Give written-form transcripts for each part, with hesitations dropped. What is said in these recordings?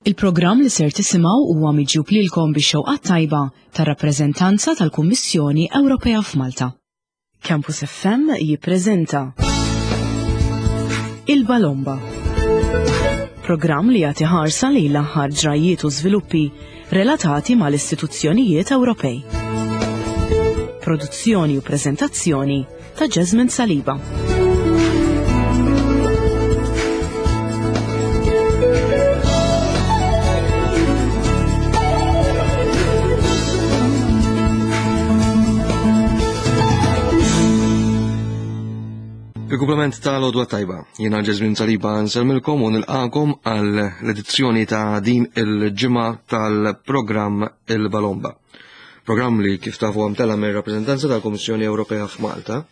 Il-programm li ser tisimgħu huwa miġjub lilkom bix-xewqat tajba tar-rappreżentanza tal-Kummissjoni Ewropea f'Malta. Campus FM jippreżenta Il-Balomba. Programm li jagħti ħarsa lejn l-aħħar ġrajjiet u żviluppi relatati mal-istituzzjonijiet Ewropej. Produzzjoni u preżentazzjoni ta' Jasmine Saliba. Il-kumplament ta' l-odwa tajba, jena Ġezmin Saliba nselmilkom u nilqakom għal l-edizzjoni ta' din il-ġimgħa tal-programm Il-Balomba. Programm li kif tafu għam tela mir rappreżentanza tal-Kummissjoni Ewropea f'Malta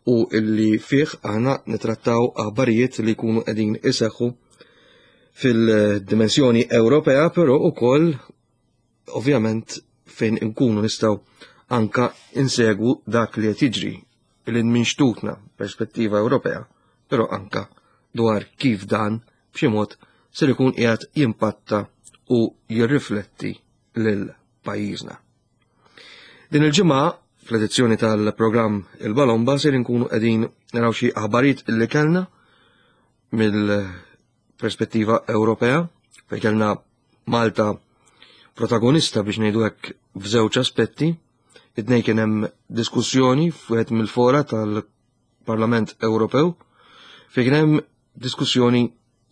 u illi fih aħna nitrattaw aħbarijiet li jkunu qegħdin iseħħu fil-dimensjoni Ewropea, però ukoll ovvjament fejn inkunu nistgħu anka insegwu dak li qed jiġri li minn xtutna perspettiva Ewropea, però anka dwar kif dan b'xi mod ser ikun qiegħed jimpatta u jirrifletti lil pajjiżna. Din il-ġimgħa fl-edizzjoni tal-programm Il-Balomba ser inkunu qegħdin naraw xi aħbarijiet li kellna mill-perspettiva Ewropea fejn kellna Malta protagonista biex ngħidu hekk f'żewġ aspetti. It-tnejn kien hemm diskussjoni f'wieħed mill-fora tal-Parlament Ewropew fejn kien hemm diskussjoni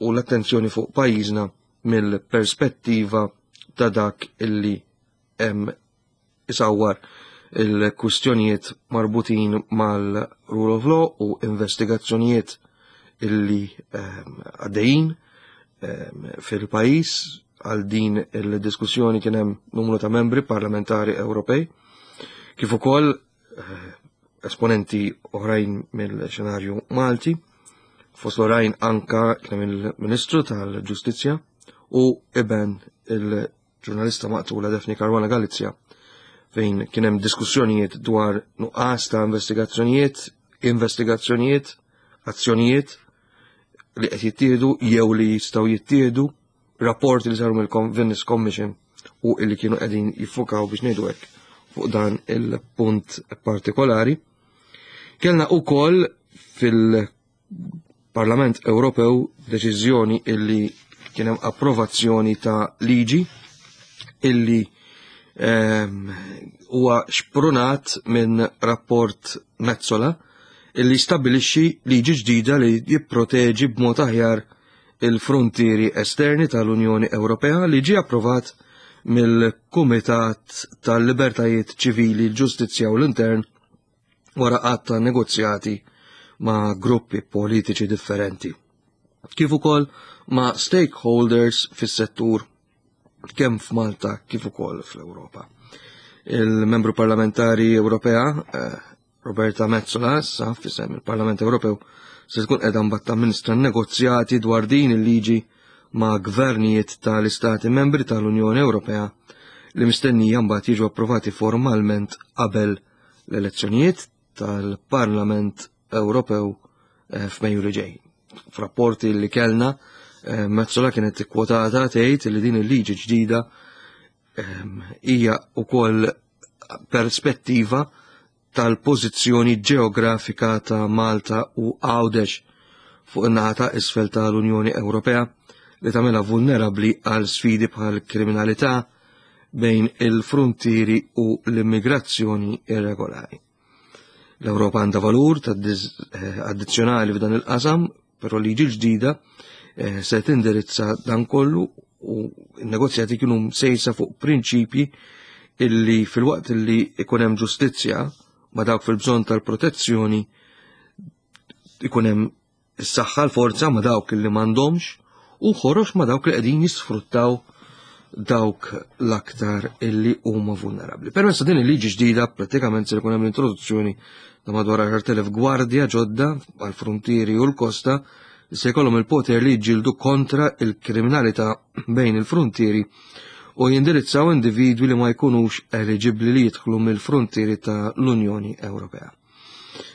u l-attenzjoni fuq pajjiżna mill-perspettiva ta' dak illi hemm isawwar il-kwistjonijiet marbutin mal-rule of law u investigazzjonijiet illi ehm, għaddejjin ehm, fil-pajjiż għal din il-diskussjoni kien hemm numru ta' membri parlamentari Ewropej kif ukoll eh, esponenti oħrajn mill-xenarju Malti, fost l-oħrajn anka kien il-Ministru tal-Ġustizzja u iben il-ġurnalista maqtula Daphne Caruana Galizia fejn kien hemm diskussjonijiet dwar nuqqas ta' investigazzjonijiet, investigazzjonijiet, azzjonijiet li qed jittieħdu jew li jistgħu jittieħdu rapporti li saru mill-Venice Commission u illi kienu qegħdin jiffukaw biex ngħidu hekk fuq dan il-punt partikolari. Kellna ukoll fil-Parlament Ewropew deċiżjoni illi kien hemm approvazzjoni ta' liġi illi ehm, huwa xprunat minn rapport Mezzola illi stabilixxi liġi ġdida li jipproteġi b'mod aħjar il-fruntieri esterni tal-Unjoni Ewropea li ġie approvat mill-Kumitat tal-Libertajiet Ċivili, l-Ġustizzja u l-Intern wara qatt ta' negozjati ma' gruppi politiċi differenti, kif ukoll ma' stakeholders fis-settur kemm f'Malta kif ukoll fl-Ewropa. Il-membru parlamentari Ewropea eh, Roberta Metsola issa f'isem il-Parlament Ewropew se tkun qiegħda mbagħad tamministra negozjati dwar din il-liġi ma' gvernijiet tal-Istati membri tal-Unjoni Ewropea li mistennija mbagħad jiġu approvati formalment qabel l-elezzjonijiet tal-Parlament Ewropew eh, f'Mejju li ġej. F'rapporti li kellna, eh, Metsola kienet ikkwotata tgħid li din il-liġi ġdida ehm, hija wkoll perspettiva tal-pożizzjoni ġeografika ta' Malta u Għawdex fuq in-naħa ta' isfel tal-Unjoni Ewropea li tagħmilha vulnerabbli għal sfidi bħal kriminalità bejn il-fruntieri u l-immigrazzjoni irregolari. L-Ewropa għandha valur ta' eh, addizzjonali f'dan il-qasam, però liġi ġdida eh, se tindirizza dan kollu u n-negozjati kienu msejsa fuq prinċipji illi fil-waqt illi ikun hemm ġustizzja ma dawk fil-bżonn tal-protezzjoni ikun hemm is-saħħa l-forza ma' dawk li m'għandhomx u ħorox ma' dawk li qegħdin jisfruttaw dawk l-aktar illi huma vulnerabbli. Permezz ta' din il-liġi ġdida prattikament se jkun hemm l-introduzzjoni ta' madwar 10,000 gwardja ġodda għall-fruntieri u l-kosta li se jkollhom il-poter li jġildu kontra il-kriminalità bejn il-fruntieri u jindirizzaw individwi li ma jkunux eliġibbli li jidħlu mill-fruntieri ta' l-Unjoni Ewropea.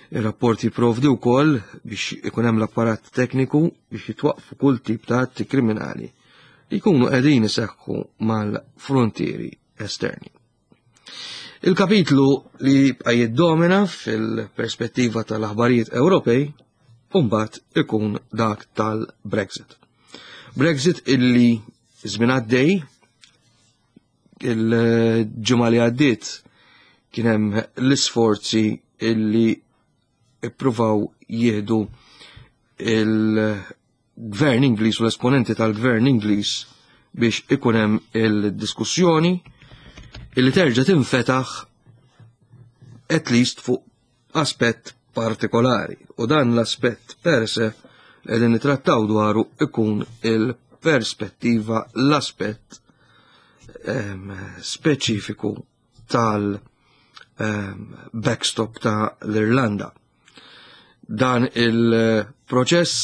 Ir-rapport jipprovdi wkoll biex ikun hemm l-apparat tekniku biex jitwaqfu kull tip ta' atti kriminali. li jkunu qegħdin iseħħu mal-frontieri esterni. Il-kapitlu li jibqa' jiddomina fil-perspettiva tal-aħbarijiet Ewropej mbagħad ikun dak tal-Brexit. Brexit illi żmien għaddej il-ġimgħa li għaddiet kien hemm l-isforzi illi ippruvaw jieħdu il-gvern Ingliż u l-esponenti tal-gvern Ingliż biex ikun hemm il-diskussjoni illi terġa' tinfetaħ at least fuq aspett partikolari u dan l-aspett per se li qegħdin nitrattaw dwaru ikun il-perspettiva l-aspett ehm, speċifiku tal ehm, backstop ta' l-Irlanda. Dan il-proċess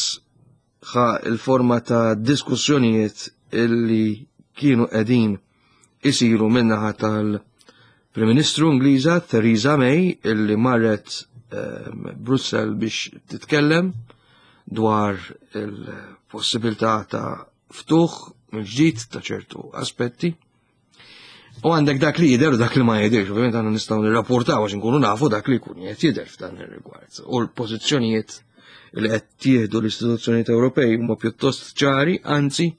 ħa il-forma ta' diskussjonijiet illi kienu qegħdin isiru minnaħa tal-Prim Ministru Ingliża Theresa May illi marret ehm, Brussel biex titkellem dwar il-possibilità ta' ftuħ mill-ġdid ta' ċertu aspetti. U għandek dak li jidher u dak li ma jidirx, ovvjament għandna nistgħu nirrapportaw għax inkunu nafu dak li jkun qed jidher f'dan ir-rigward. U l-pożizzjonijiet li qed jieħdu l-istituzzjonijiet Ewropej huma pjuttost ċari, anzi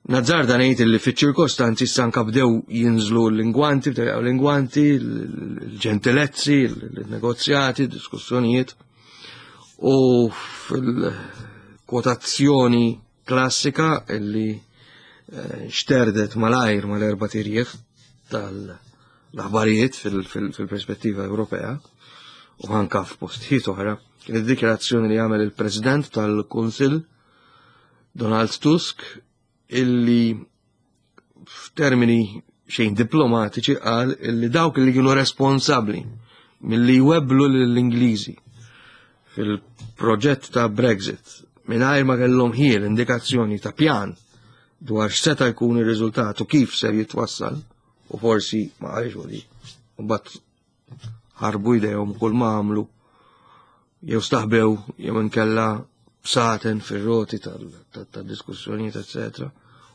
Nazzarda ngħid li fiċ-ċirkostanzi issa anka bdew jinżlu l-lingwanti, bdew l-lingwanti, l-ġentilezzi, l-negozjati, diskussjonijiet. U fil-kwotazzjoni klassika illi eh, xterdet malajr mal-erba tirjieħ tal-aħbarijiet fil-perspettiva Ewropea u anka f'postijiet oħra, kien id-dikjarazzjoni li għamel il-President tal-Kunsill Donald Tusk illi f'termini xejn diplomatiċi qal illi dawk li kienu responsabbli milli jwebblu lill-Ingliżi fil-proġett ta' Brexit mingħajr ma kellhom ħiel indikazzjoni ta' pjan dwar x'seta' jkun ir-riżultat u kif ser jitwassal u forsi ma qalx li mbagħad ħarbu jdejhom kull ma għamlu jew staħbew jew inkella bsaten fir-roti tad-diskussjonijiet, eccetera.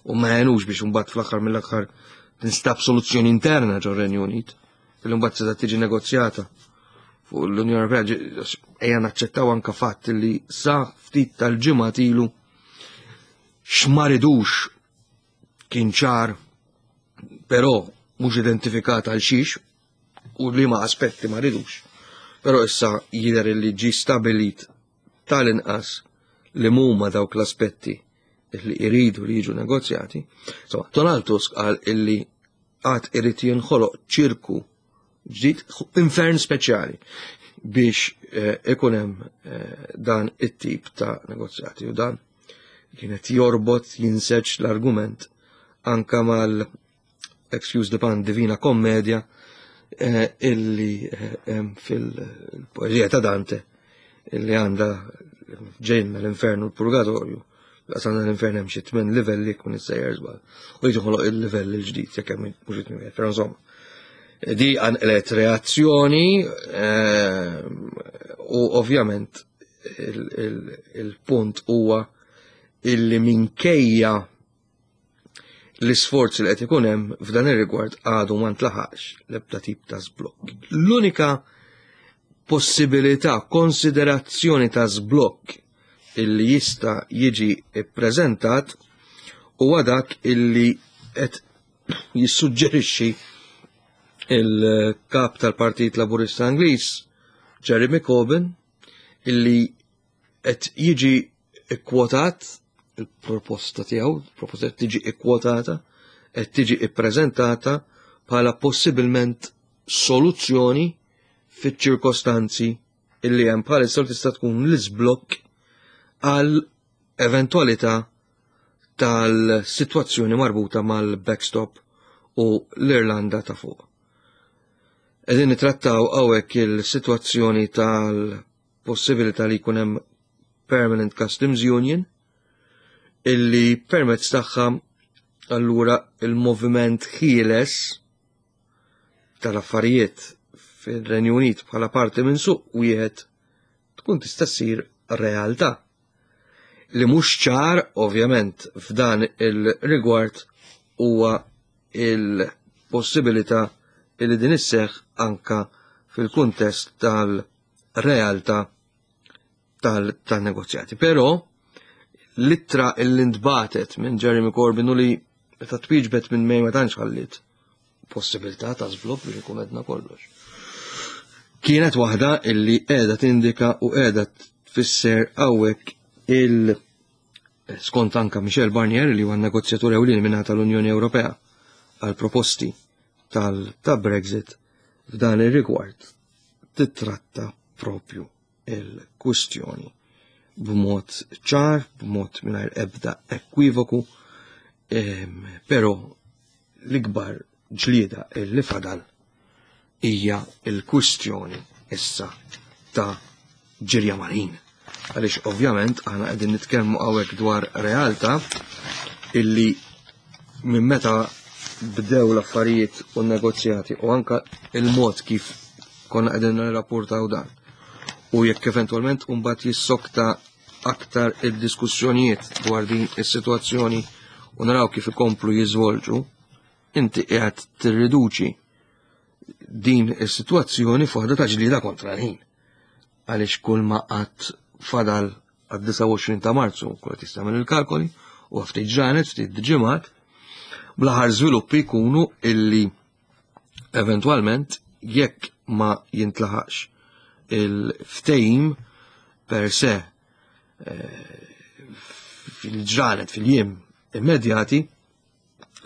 U ma għenux biex mbagħad fl-aħħar mill-aħħar tinstab soluzzjoni interna ġo Renju Unit, fil mbagħad se tiġi negozjata fuq l-Unjoni Ewropea ejja naċċettaw anka fatt li sa ftit tal-ġimgħa ilu x'ma ridux kien ċar però mhux identifikat għal xiex u li ma aspetti ma ridux. Però issa jidher li ġi stabilit tal-inqas li mhuma dawk l-aspetti li iridu li jiġu negozjati. So, Donald Tusk qal illi għad irid jinħoloq ċirku ġdid infern speċjali biex eh, ikun hemm eh, dan it-tip ta' negozjati u dan kienet jorbot jinseġ l-argument anka mal excuse the pun divina kommedia eh, illi fil-poezija ta' Dante illi għanda ġejn l-infernu l-purgatorju għasanna l-infern hemm xi tmien livelli kun issejjer żball. U jiġu ħoloq il-livell il-ġdid jekk hemm mhux it però insomma. Di għanqlet reazzjoni eh, u ovvjament il-punt huwa illi minkejja l-isforzi li qed ikun hemm f'dan ir-rigward għadu ma ntlaħaqx l-ebda tip ta' żblokk. L-unika possibilità, konsiderazzjoni ta' żblokk illi jista' jiġi ppreżentat huwa dak illi qed jissuġġerixxi il-kap tal-Partit Laburista Ingliż, Jeremy Corbyn, illi qed jiġi ikkwotat il-proposta tiegħu, il-proposta qed tiġi ikkwotata, qed tiġi ippreżentata bħala possibilment soluzzjoni fiċ-ċirkostanzi illi hemm bħalissa tista' tkun l-iżblokk għal eventwalità tal-sitwazzjoni marbuta mal-backstop u l-Irlanda ta' fuq. Qegħdin nitrattaw hawnhekk il-sitwazzjoni tal-possibilità li jkun hemm Permanent Customs Union illi permezz tagħha allura il-moviment ħieles tal-affarijiet fir-Renju Unit bħala parti minn suq wieħed tkun tista' ssir realtà. Li mhux ċar, ovvjament, f'dan il-rigward huwa il-possibilità li din isseħħ anka fil-kuntest tal-realtà tal-negozjati. Però l-ittra li ntbatet minn Jeremy Corbyn u li meta twieġbet minn May ma tantx ħalliet possibilità ta' żvilupp biex ikun għedna kollox. Kienet waħda illi qiegħda tindika u qiegħda tfisser hawnhekk il skont anka Michel Barnier li huwa negozjatur ewlieni minn tal-Unjoni Ewropea għal proposti tal ta' Brexit f'dan ir-rigward titratta propju il-kwistjoni b'mod ċar, b'mod mingħajr ebda ekwivoku, però l-ikbar ġlieda li fadal hija l-kwistjoni issa ta' ġirja mal-ħin. Għaliex ovvjament aħna qegħdin nitkellmu hawnhekk dwar realtà illi minn meta bdew l-affarijiet u n-negozjati u anka il-mod kif konna qegħdin nirrapportaw dan. U jekk eventwalment mbagħad jissokta aktar id-diskussjonijiet dwar din is-sitwazzjoni u naraw kif ikomplu jiżvolġu, inti qiegħed tirriduċi din is-sitwazzjoni f'waħda ta' ġlieda kontra l-ħin. Għaliex kull ma qatt fadal għad-29 ta' Marzu, kull qed jistagħmel il-kalkoli, u ftit ġranet, ftit ġimgħat, bl-aħħar żviluppi jkunu illi eventwalment jekk ma jintlaħaqx il-ftehim per se eh, fil-ġranet, fil-jiem immedjati,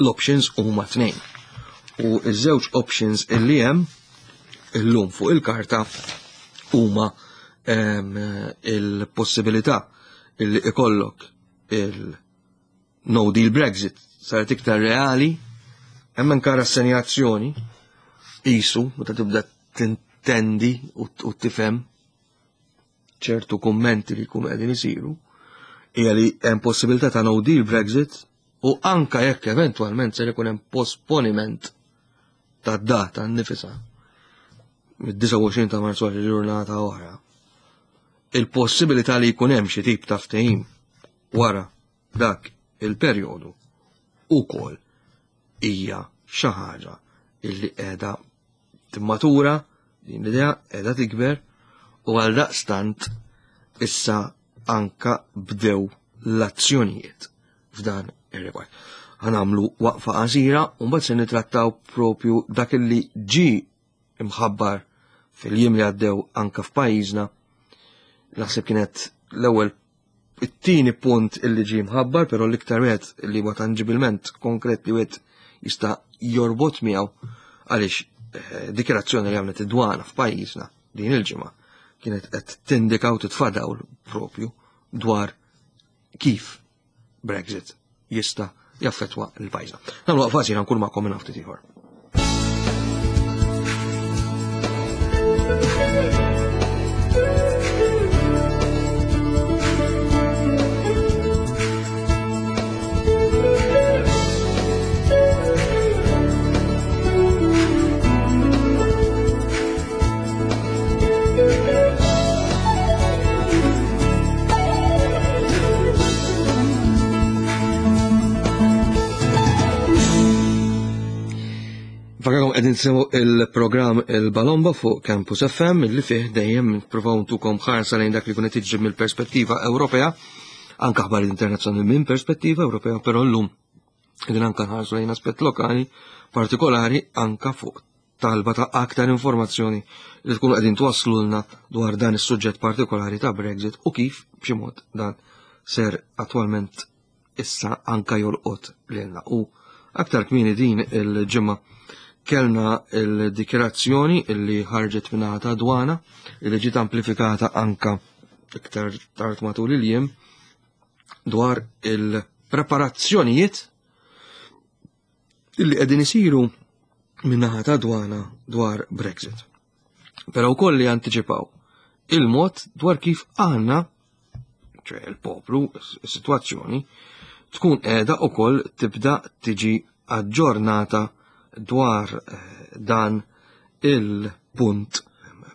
l-options huma tnejn. U iż-żewġ options illi hemm illum fuq il-karta huma ehm, il-possibilità illi ikollok il-no deal Brexit saret iktar reali, hemm anka rassenjazzjoni qisu meta tibda tintendi u tifhem ċertu kummenti li jkunu qegħdin isiru hija li hemm possibilità ta' no deal Brexit u anka jekk eventwalment ser ikun hemm posponiment ta' data nnifisha mid-29 ta' Marzu għal ġurnata oħra. Il-possibilità li jkun hemm xi tip ta' ftehim wara dak il-perjodu ukoll hija xi ħaġa illi qiegħda timmatura, din l-idea qiegħda tikber u għal daqstant issa anka bdew l-azzjonijiet f'dan ir-rigward. Ħanamlu waqfa qasira u mbagħad se nitrattaw propju dak li ġi imħabbar fil-jiem li għaddew anka f'pajjiżna. Naħseb kienet l-ewwel it-tieni punt illi ġie mħabbar, però l-iktar wieħed li huwa tanġibilment konkret li wieħed jista' jorbot miegħu għaliex eh, dikjarazzjoni li għamlet id-dwana f'pajjiżna din il-ġimgħa kienet qed tindika u titfa' dawl propju dwar kif Brexit jista' jaffetwa l-pajjiżna. Nagħmlu waqfa qasira nkun magħkom minn ftit ieħor. Fakakom qegħdin tisimgħu il-programm Il-Balomba fuq Campus FM li fih dejjem nippruvaw ntukom ħarsa lejn dak li kun qed jiġri mill-perspettiva Ewropea, anke aħbarijiet internazzjonali minn perspettiva Ewropea, però llum qegħdin anke nħarsu lejn aspett lokali partikolari anke fuq talba ta' aktar informazzjoni li tkunu qegħdin twasslulna dwar dan is-suġġett partikolari ta' Brexit u kif b'xi mod dan ser attwalment issa anka jolqot lilna. U aktar kmieni din il-ġimgħa kellna il-dikjerazzjoni illi ħarġet minn ta' dwana illi ġiet amplifikata anka iktar tard matul il-jiem dwar il-preparazzjonijiet illi qegħdin isiru min-naħa ta' dwana dwar Brexit. Però wkoll li antiċipaw il-mod dwar kif aħna, ċe il-poplu, is-sitwazzjoni, tkun qiegħda wkoll tibda tiġi aġġornata dwar eh, dan il-punt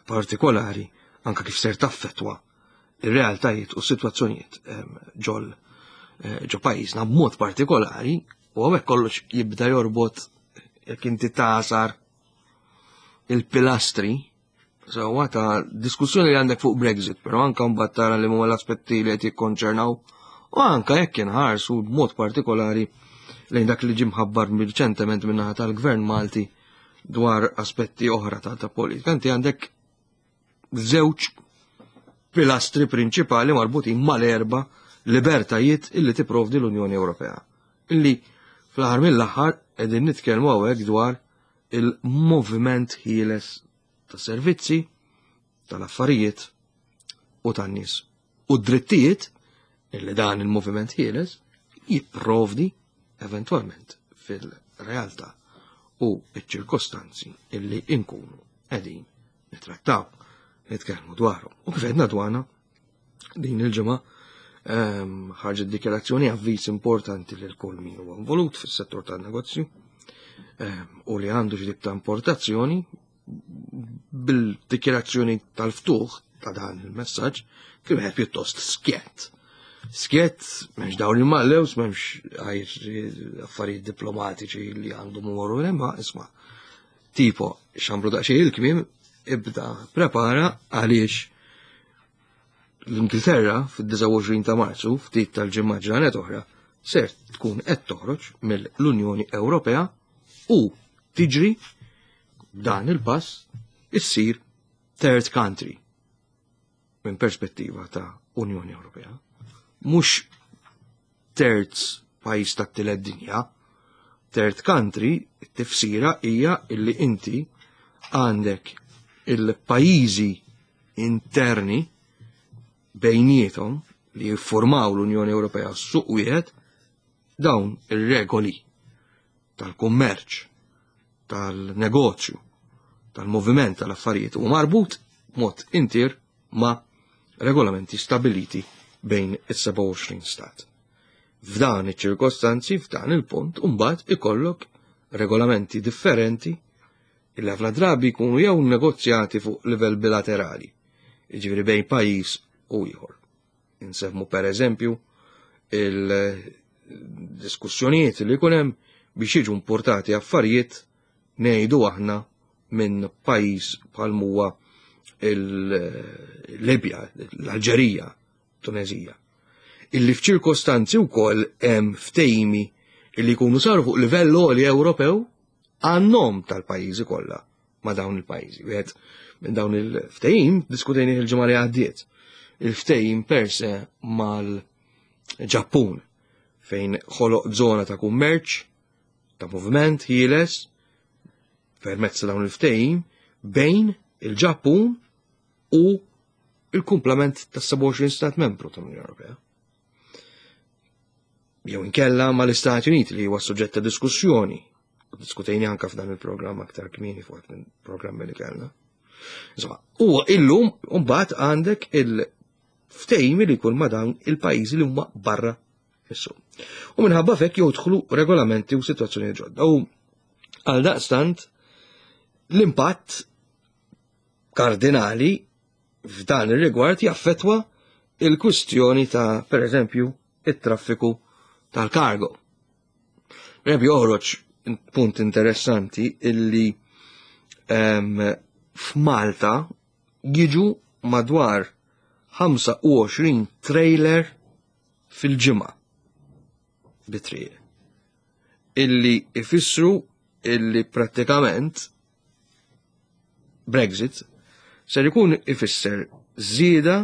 partikolari anka kif ser taffetwa. ir-realtajiet u s-sitwazzjonijiet ehm, ġol eh, ġo pajjiżna b'mod partikolari u hawnhekk kollox jibda jorbot jekk inti tasar il-pilastri sewwa ta' diskussjoni li għandek fuq Brexit, però anka mbagħad tara li huma l-aspetti li qed jikkonċernaw u anka jekk inħarsu b'mod partikolari lejn dak li ġie mħabbar riċentement min-naħa tal-Gvern Malti dwar aspetti oħra ta' ta' politika. Inti għandek żewġ pilastri prinċipali marbutin mal-erba libertajiet illi tipprovdi l-Unjoni Ewropea. Illi fl-aħħar mill-aħħar qegħdin nitkellmu hawnhekk dwar il-moviment ħieles ta' servizzi, tal-affarijiet u tan-nies. U d-drittijiet illi dan il-moviment ħieles jipprovdi eventwalment fil-realtà u ċ-ċirkostanzi illi inkunu qegħdin nitrattaw, nitkellmu dwarhom. U kif għedna dwana din il-ġimgħa ehm, ħarġet dikjarazzjoni avviż importanti lil kull min huwa involut fis-settur tan-negozju ehm, u li għandu xi ta' importazzjoni bil-dikjarazzjoni tal-ftuħ ta' dan il-messaġġ kien wieħed pjuttost skjett. Skjett, m'hemmx dawn il-mallews, m'hemmx għajr affarijiet diplomatiċi li għandhom umorru imma isma' tipo xambru daqsxejn il-kmiem ibda prepara għaliex l-Ingilterra fid-29 ta' Marzu, ftit tal-ġimgħa ġranet oħra, ser tkun qed toħroġ mill-Unjoni Ewropea u tiġri dan il-pass issir third country minn perspettiva ta' Unjoni Ewropea. Mhux terz pajjiż tat-tielet dinja, third country, it-tifsira hija illi inti għandek il-pajjiżi interni bejniethom li jiffurmaw l-Unjoni Ewropea suq wieħed dawn ir-regoli tal-kummerċ, tal-negozju, tal-moviment tal-affarijiet u marbut mod intir ma' regolamenti stabiliti bejn is-27 stat. F'dan iċ-ċirkostanzi, f'dan il-punt, mbagħad ikollok regolamenti differenti illi ħafna drabi jkunu jew negozjati fuq livell bilaterali, jiġifieri bejn pajjiż u ieħor. Insemmu per eżempju il-diskussjonijiet li jkun hemm biex jiġu importati affarijiet ngħidu aħna minn pajjiż bħal huwa il-Libja, l-Alġerija, Tunezija. Illi f'ċirkostanzi wkoll hemm ftehimi illi jkunu saru fuq livell għoli Ewropew għan-nom tal-pajjiżi kollha ma' dawn il-pajjiżi. Wieħed minn dawn il-ftehim diskutejni il-ġimgħa li għaddiet. Il-ftehim per se mal-Ġappun fejn ħoloq żona ta' kummerċ, ta' moviment ħieles permezz ta' dawn il-ftehim bejn il-Ġappun u il-kumplament tas 27 stat membru tal-Unjoni Ewropea. Jew inkella mal-Istati Uniti li huwa suġġett ta' diskussjoni. Diskutejni anka f'dan il-programm aktar kmieni fuq minn programmi li kellna. Insomma, huwa illum mbagħad għandek il-ftehim li jkun ma' dawn il-pajjiżi li huma barra is-suq. U minħabba fekk jodħlu regolamenti u situazzjoni ġodda. U għal daqstant l-impatt kardinali f'dan ir-rigward jaffetwa il-kwistjoni ta' per eżempju, it-traffiku tal-kargo. Per eżempju, joħroġ punt interessanti illi um, f'Malta jiġu madwar 25 trailer fil-ġimgħa bitriq illi ifissru illi prattikament Brexit ser ikun ifisser żieda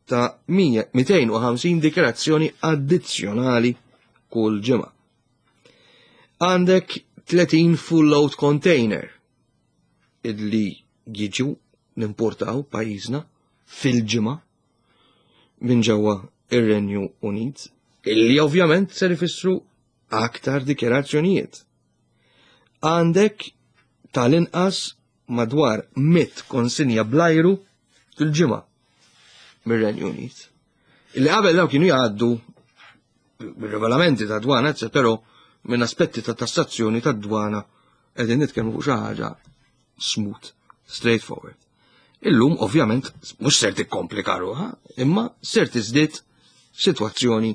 ta' 250 dikjarazzjoni addizzjonali kull ġimgħa. Għandek 30 full load container illi jiġu nimportaw pajjiżna fil-ġimgħa minn ġewwa ir-Renju Unit, illi ovvjament ser ifissru aktar dikjarazzjonijiet. Għandek tal-inqas madwar 100 konsinja blajru fil-ġimgħa mir-Renju Unit. Illi qabel daw kienu jgħaddu bir-regolamenti ta' dwana, però minn aspetti ta' tassazzjoni ta' dwana qegħdin nitkellmu fuq xi ħaġa smooth, straightforward. Illum ovvjament mhux ser tikkomplika ruħha, imma ser tiżdied sitwazzjoni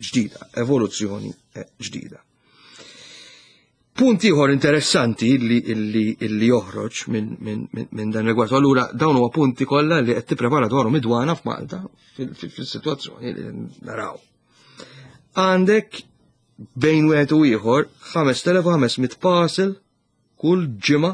ġdida, evoluzzjoni eh, ġdida. Punt ieħor interessanti li, li, li joħroġ minn min, min, min dan rigward. Allura dawn huwa punti kollha li qed tipprepara dwarhom id-dwana f'Malta fis-sitwazzjoni li naraw. Għandek bejn wieħed u ieħor 5500 parcel kull ġimgħa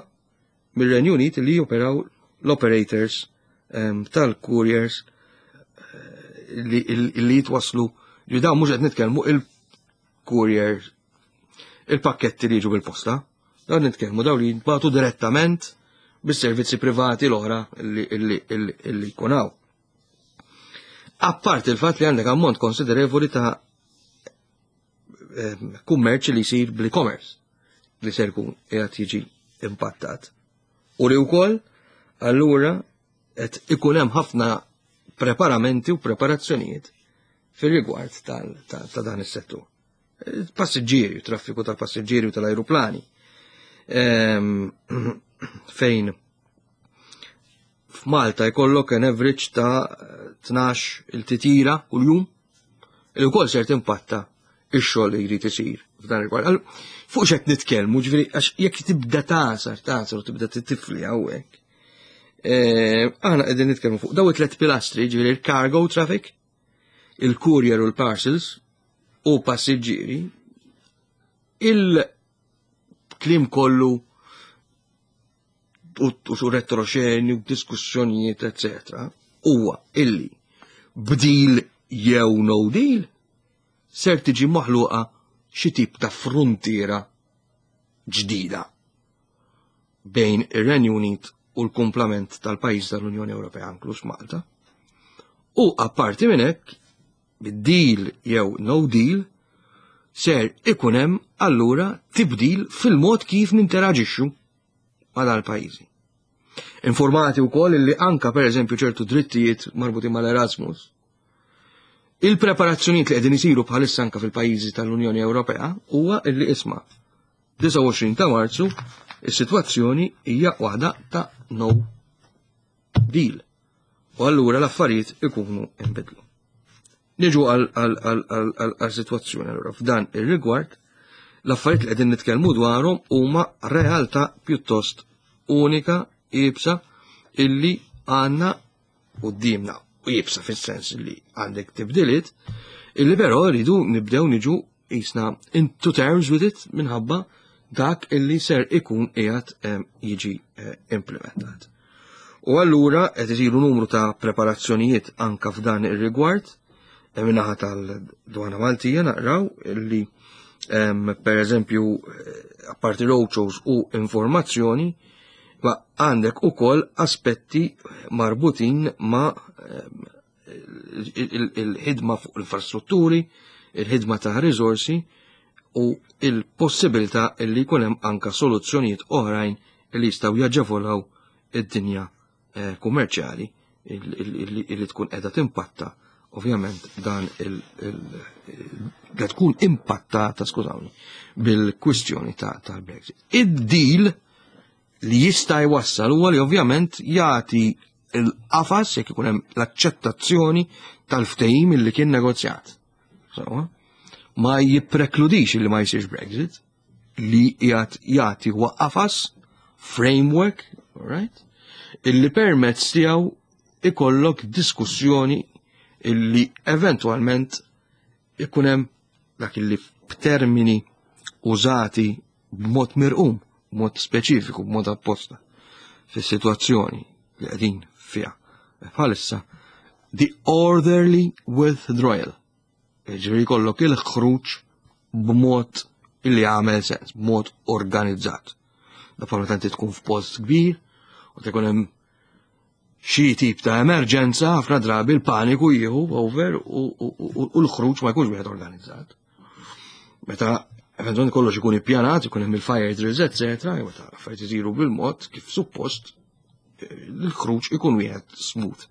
mir-Renju Unit li joperaw l-operators ehm, tal-couriers eh, li, li jitwaslu li dawn mhux qed nitkellmu il-courier il-pakketti li jiġu bil-posta. Dawn nitkellmu dawn li jintbagħtu direttament bis-servizzi privati l-oħra li jkun hawn. Apart il-fatt li għandek ammont konsiderevoli ta' ehm, kummerċ li jsir bl-e-commerce li ser jkun qiegħed jiġi impattat. U li wkoll allura qed ikun hemm ħafna preparamenti u preparazzjonijiet fir-rigward ta' dan is-settur. Passiġġieri, traffiku tal-passiġġieri u tal-ajruplani. Ehm, fejn f'Malta jkollok an average ta' 12 il-titira kuljum li wkoll ser timpatta ix-xogħol li jrid isir f'dan il-rigward. Fuq x'qed nitkellmu, ġifieri għax jekk tibda tagħsar, tagħsar u tibda titifli hawnhekk. Eh, aħna qegħdin nitkellmu fuq daw it-tlet pilastri, ġifieri il-cargo traffic, il-courier u l-parcels u passiġġieri, il-kliem kollu u su retroxeni u diskussjonijiet, etc. Huwa illi b'deal jew no deal ser tiġi maħluqa xi tip ta' fruntiera ġdida bejn ir-Renju Unit u l-kumplament tal-pajjiż tal-Unjoni Ewropea inkluż Malta. U apparti minn hekk, bid-deal jew no deal, ser ikun hemm allura tibdil fil-mod kif ninteraġixxu ma' dal-pajjiżi. Informati wkoll li anka pereżempju ċertu drittijiet marbutin mal-Erasmus, il-preparazzjonijiet li qegħdin isiru bħalissa anka fil-pajjiżi tal-Unjoni Ewropea huwa illi isma' 29 ta' Marzu is-sitwazzjoni hija waħda ta' no deal. U allura l-affarijiet ikunu inbidlu. Niġu għal sitwazzjoni allura f'dan ir-rigward l-affarijiet li qegħdin nitkellmu dwarhom huma realtà pjuttost unika iebsa illi għandna quddiemna u iebsa fis-sens li għandek tibdiliet illi però rridu nibdew niġu jisna into terms with it minħabba dak illi ser ikun qiegħed jiġi eh, implementat. U allura qed isiru numru ta' preparazzjonijiet anka f'dan ir-rigward eh, minnaħa tal-Dwana Maltija naqraw illi per eżempju eh, apparti roadshows u informazzjoni ma għandek ukoll aspetti marbutin ma' il-ħidma fuq l-infrastrutturi, il-ħidma ta' riżorsi u il-possibilità li jkun hemm anka soluzzjonijiet oħrajn li jistgħu jaġevolaw id-dinja eh, kummerċjali li tkun qiegħda timpatta ovvjament dan il li tkun impattata, skużawni, bil-kwistjoni tal-Brexit. Id-deal li jista' jwassal huwa li ovvjament jagħti il-qafas jekk ikun hemm l-aċċettazzjoni tal-ftehim li kien negozjat. So, ma jipprekludix li ma jsirx Brexit li jgħat jagħti huwa qafas framework, right? Illi permezz tiegħu ikollok diskussjoni illi eventwalment ikun hemm dak illi b'termini użati b'mod mirqum, b'mod speċifiku, b'mod apposta fis-sitwazzjoni li qegħdin fiha. Bħalissa, the orderly withdrawal. Ġifieri jkollok il-ħruġ b'mod illi għamel sens, b'mod organizzat. Da bħala tanti tkun f'post kbir u tkun hemm xi tip ta' emerġenza ħafna drabi l-paniku jieħu over u l-ħruġ ma jkunx wieħed organizzat. Meta eventualment kollox ikun ippjanat, ikun hemm il-fire drills, eccetera, jew meta affarijiet isiru bil-mod kif suppost, l-ħruġ ikun wieħed smooth.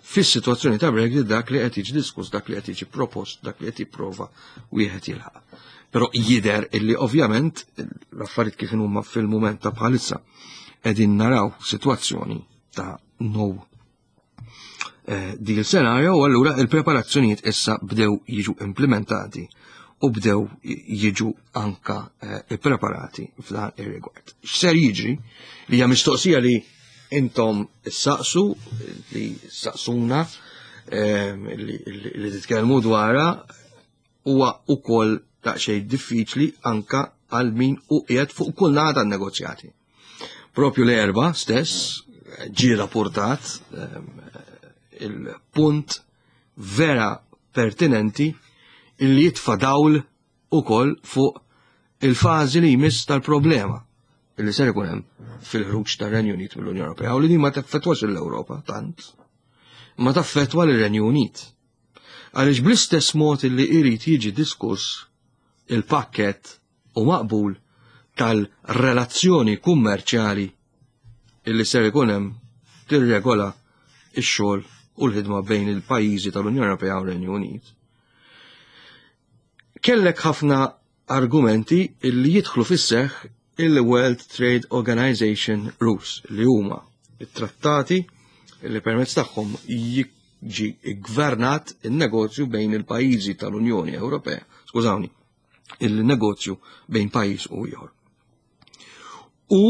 Fis-sitwazzjoni ta' Brexit dak li qed jiġi diskuss, dak li qed jiġi propost, dak li qed jipprova wieħed jilħaq. Però jidher illi ovvjament l-affarijiet kif huma fil-mument ta' bħalissa qegħdin naraw sitwazzjoni ta' no eh, deal scenario u allura il-preparazzjonijiet issa bdew jiġu implementati u bdew jiġu anka eh, ippreparati f'dan ir-rigward. X'ser jiġri li hija mistoqsija li intom saqsu li saqsuna eh, li titkellmu dwarha huwa ukoll daqsxejn diffiċli anka għal min u qiegħed fuq kull naħa tan-negozjati. Propju l-erba stess ġie rapportat ehm, il-punt vera pertinenti illi jitfa' dawl ukoll fuq il-fażi li jmiss tal-problema illi ser ikun hemm fil-ħruġ tar-Renju Unit mill-Unjoni Ewropea u li din ma teffettwax l-Ewropa tant, ma taffettwa lir-Renju Unit. Għaliex bl-istess mod li jrid jiġi diskuss il-pakkett u maqbul tal-relazzjoni kummerċjali illi ser ikun hemm tirregola x-xogħol u l-ħidma bejn il-pajjiżi tal-Unjoni Ewropea u r-Renju Unit. Kellek ħafna argumenti illi jidħlu fis-seħħ il-World Trade Organization Rules li huma it-trattati li permezz tagħhom jiġi gvernat il-negozju bejn il-pajjiżi tal-Unjoni Ewropea, skużawni, il-negozju bejn pajjiż u ieħor. U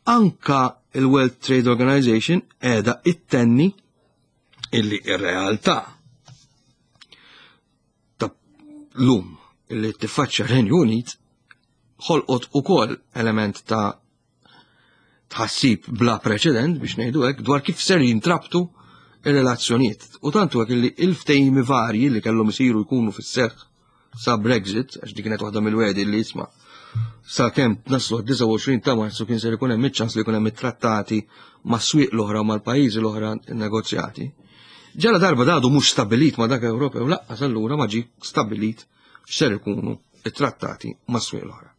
anka il-World Trade Organization qiegħda ittenni illi ir-realtà ta' lum illi tiffaċċja Renju Unit ħolqot ukoll element ta' tħassib bla preċedent biex ngħidu hekk dwar kif ser jintrabtu ir-relazzjonijiet. U tantu hekk li il-ftehimi varji li kellhom isiru jkunu fis-seħħ sa Brexit, għax dik kienet waħda mill-wedi li jisma' sa kemm naslu 29 ta' Marzu kien ser ikun hemm iċ-ċans li jkun hemm it-trattati mas-swieq l-oħra u mal-pajjiżi l-oħra negozjati. Ġala darba dadu mhux stabilit ma' dak Ewropew laqqas allura ma ġie stabilit x'ser ikunu it-trattati mas-swieq l-oħra.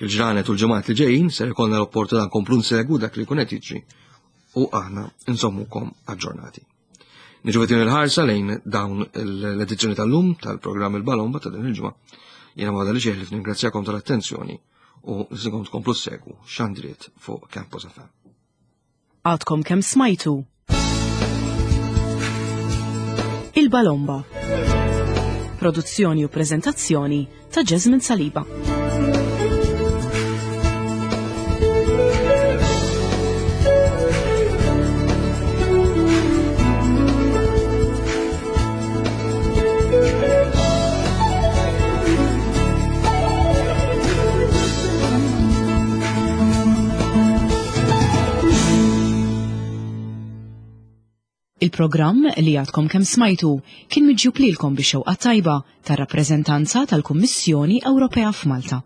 Fil-ġranet u l-ġimgħat li ġejjin ser ikollna l-opportunità nkomplu nsegwu dak li jkun qed jiġri u aħna nżommukom aġġornati. Niġu din il-ħarsa lejn dawn l-edizzjoni tal-lum tal-programm il-Balomba ta' din il-ġimgħa. Jiena ma li xejn ningrazzjakom tal-attenzjoni u nsikom tkomplu segwu xandriet fuq Campus FM. Għadkom kemm smajtu Il-Balomba. Produzzjoni u prezentazzjoni ta' Jasmine Saliba. Il-programm li għadkom kemm smajtu kien miġjub lilkom bix-xewqa tajba tar-rappreżentanza tal-Kummissjoni Ewropea f'Malta.